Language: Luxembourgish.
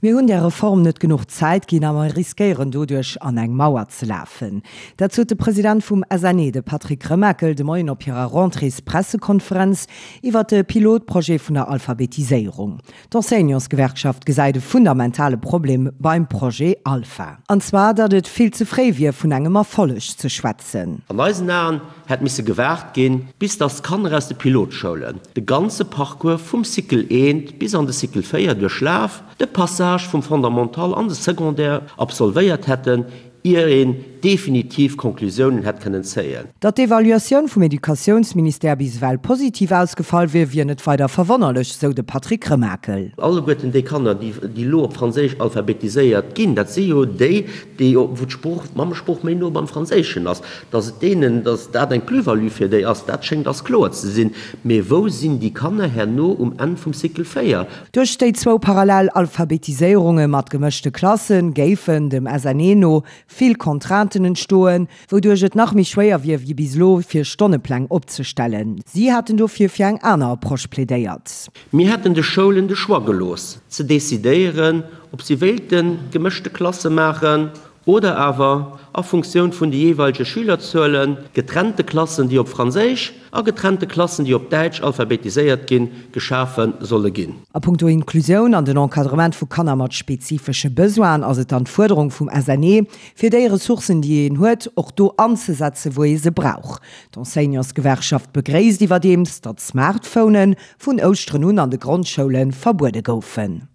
Mir hunn där Reform net genuch Zäit ginn a mer riskéieren doduerch an eng Mauer ze lafen. Dat sot de President vum SNE, de Patrick Remakel, de Moien op hirer Rentréespressekonferenz iwwert de Pilotprojet vun der Alphabetiséierung. D'Enseignantsgewerkschaft gesäit e fundamentale Problem beim Projet Alpha. An zwar, datt et vill ze fréi wier vun engem Erfolleg ze schwätzen. An eisen Aen hätt misse gewaart ginn, bis datt d'Kanner aus de Pilotschoulen de ganze Parcours vum Cycle I bis an de Cycle 4 duerchlaf, de Passage vum Fondamental an de Secondaire absolvéiert hätten, ier een definitiv Conclusiounen hätt kënnen zéien. Datt d'Evaluatioun vum Educatiounsministère bis ewell positiv ausgefall wier, wier net weider verwonnerlech, sou de Patrick Remakel. Alleguerten déi Kanner, déi elo op Franséisch alphabetiséiert ginn, dat si jo déi, déi, wou d'Sprooch, d'Mammesprooch méi no beim Franséischen ass. Datt et deenen, datt dat eng Plus-value fir déi ass, dat schéngt ass kloer ze sinn. Mee wou sinn déi Kanner herno um Enn vum Cycle 4? Duerch déi zwou parallel Alphabetiséierunge mat gemëschte Klasse géifen, dem SNE no, vill Contrainten entstoen, wouduerch et nach méi schwéier wier wéi bis elo, fir Stonnepläng opzestellen. Si haten dofir fir eng aner Approche plädéiert. Mir hätten de Schoulen de Choix gelooss, ze decidéieren, ob si wéilte gemëschte Klasse maachen oder awer, a Funktioun vun de jeeweilege Schülerzuelen, getrennte Klassen, déi op Franséisch a getrennte Klassen, déi op Däitsch alphabetiséiert ginn, geschafe solle ginn. A punkto Inklusioun an den Encadrement vu Kanner mat spezifesche Besoinen ass et dann d'Fuerderung vum SNE, fir déi Ressourcen, déi een huet, och do anzesetzen, wou ee se brauch. D'Enseignantsgewerkschaft begréisst iwwerdeems, datt Smartphonen vun Ouschteren un an de Grondschoule verbuede goufen.